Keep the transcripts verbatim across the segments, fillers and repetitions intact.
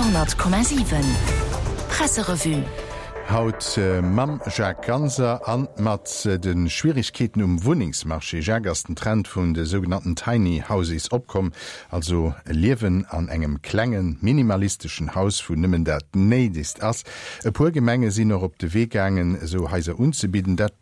Radio hundert Komma siwen Presserevue. Haut mam Jacques Ganser an mat de Schwierigkeeten um Wunnengsmarché. Jacques, ass den Trend vun de sougenannten Tiny Houses opkomm, also Liewen an engem klengen, minimalisteschen Haus, wou nëmmen dat Néidegst ass. E puer Gemenge sinn och op de Wee gaangen, esou Haiser unzebidden. Dat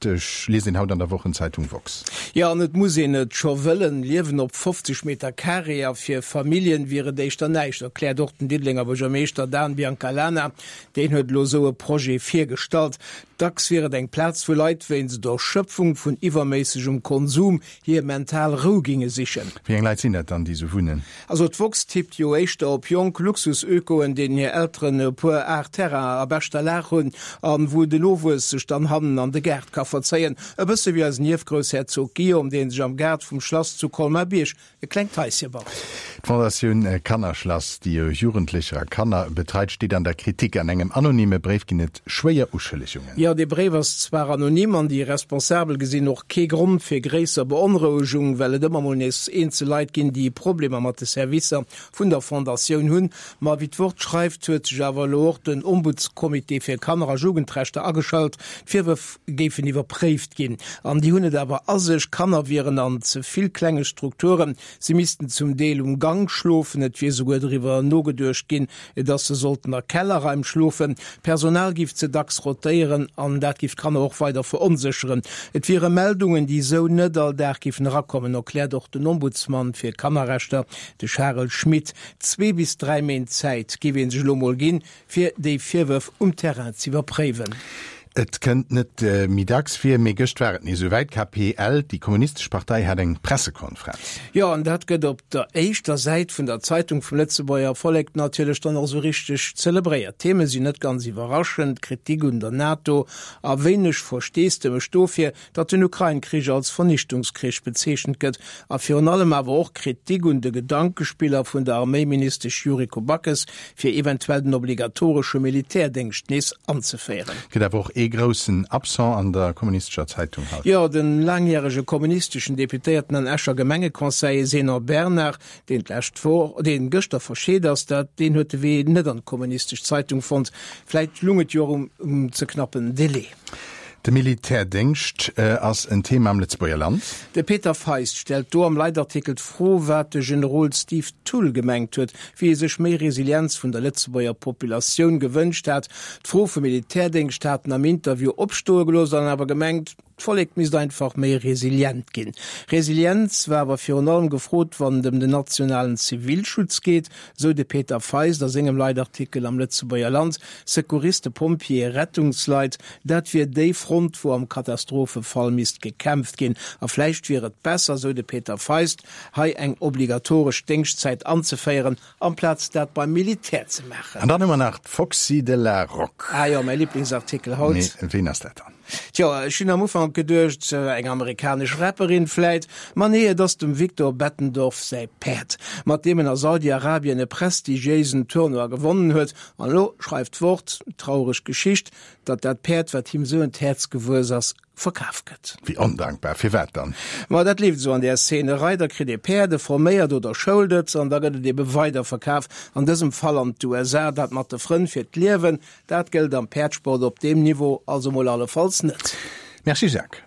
liest een haut an der Wochenzeitung Woxx. Jo, an et muss een et scho wëllen, Liewen op fofzeg Meter Carré a fir Familljen wier et éischter näischt, erkläert och den Diddelenger Buergermeeschter Dan Biancalana. Deen huet elo esou e Projet virgestallt. Dacks wier et eng Plaz, wou Leit wéinst der Erschöpfung vun iwwerméissegem Konsum hir mental Rou ginge sichen. Wéi eng Leit sinn dat dann, déi esou wunnen? Also d'woxx tippt jo éischter op jonk Luxus-Ökoen, deenen hir Elteren e puer Ar Terrain a beschter Lag hunn an wou den Nowuess sech dann hannen an de Gaart ka verzéien. E bësse wéi eisen Ierfgroussherzog Guillaume, dee sech am Gaart vum Schlass zu Colmar-Bierg e klengt Haische baut. D'Fondatioun Kannerschlass, déi jo Jugendlecher a Kanner betreit, steet an der Kritik. An engem anonyme Bréif ginn et schwéier Uschëllegungen. Jo, dee Bréif ass zwar anonym an déi Responsabel gesinn och kee Grond fir gréisser Beonrouegung, well et ëmmer mol nees eenzel Leit ginn, déi Problemer mat de Servicer vun der Fondatioun hunn. Ma wéi d'Wort schreift, huet sech awer elo och den Ombudscomité fir Kanner a Jugendrechter ageschalt. D'Virwërf géifen iwwerpréift ginn. An déi hunn et awer a sech, Kanner wieren an ze vill klenge Strukturen, si missten zum Deel um Gank schlofen, et wier souguer driwwer nogeduecht ginn, datt se sollten a Kellerraim schlofen, d'Personal giff ze dacks rotéieren an dat giff d'Kanner och weider veronsécheren. Et wiere Meldungen, déi esou net all Dag giffen erakommen, erkläert och den Ombudsman fir Kannerrechter, de Charel Schmit. Zwee bis dräi Méint Zäit giff ee sech elo mol ginn, fir déi Virwërf um Terrain z'iwwerpréiwen. Et kënnt net méi dacks vir, mee gëscht war et nees esou wäit, K P L, déi kommunistesch Partei, hat eng Pressekonferenz. Jo, an dat gëtt op der éischter Säit vun der Zeitung vum Lëtzebuerger Vollek natierlech dann och esou richteg zelebréiert. D'Theme sinn net ganz iwwerraschend, Kritik un der NATO a wéineg Versteesdemech dofir, datt den Ukrain-Krich als Vernichtungskrich bezeechent gëtt a virun allem awer och Kritik un de Gedankespiller vun der Arméiministesch Yuriko Backes, fir eventuell den obligatoresche Militärdéngscht nees anzeféieren. Gëtt awer och ee groussen Absent an der kommunistescher Zeitung haut. Jo, de laangjärege kommunisteschen Deputéierten an Escher Gemengeconseiller Zénon Bernard, deen d'lescht Woch, deen gëschter verscheet ass, dat, deen huet de Wee net an d'kommunistesch Zeitung fonnt. Vläit lung et jo och um, um ze knappen Delai. De Militärdéngscht ass en Thema am Lëtzebuerger Land. De Peter Feist stellt do am Leitartikel d'Fro, wat de Generol Steve Thull gemengt huet, wéi e sech méi Resilienz vun der Lëtzebuerger Populatioun gewënscht hat. D'Fro vum Militärdéngscht hat en am Interview opstoe gelooss an awer gemengt, d'Vollek misst einfach méi resilient ginn. Resilienz war awer virun allem gefrot, wann et ëm den nationalen Zivilschutz geet, sou de Peter Feist a sengem Leitartikel am Lëtzebuerger Land. Secouristen, Pompjeeë, Rettungsleit, dat wier déi Front, wou am Katastrophefall misst gekämpft ginn. A vläicht wier et besser, sou de Peter Feist, hei eng obligatoresch Déngschtzäit anzeféieren, amplaz dat beim Militär ze maachen. An dann hu mer nach d'Foxy de la Roque. Ah jo, mäi Liblingsartikel haut. Mee ween ass dat dann? Tjo, ech hunn am Ufank geduecht, eng amerikanesch Rapperin vläit, ma nee, et ass dem Victor Bettendorf säi Päerd, mat deem en a Saudi-Arabien e prestigiéisen Tournoi gewonnen huet. An elo schreift d'Wort, traureg Geschicht, datt dat Päerd, wat him sou un d'Häerz gewuess ass, verkaf gëtt. Wéi ondankbar, firwat dann? Ma dat leeft esou an där Szene, e Reider kritt ee Päerd, e forméiert oder schoult et, an da gëtt et ebe weiderverkaf, an dësem Fall an d'U S A. Dat mat de Frënn fir d'Liewen, dat gëllt am Päerdsport op deem Niveau also mol allefalls net. Merci Jacques.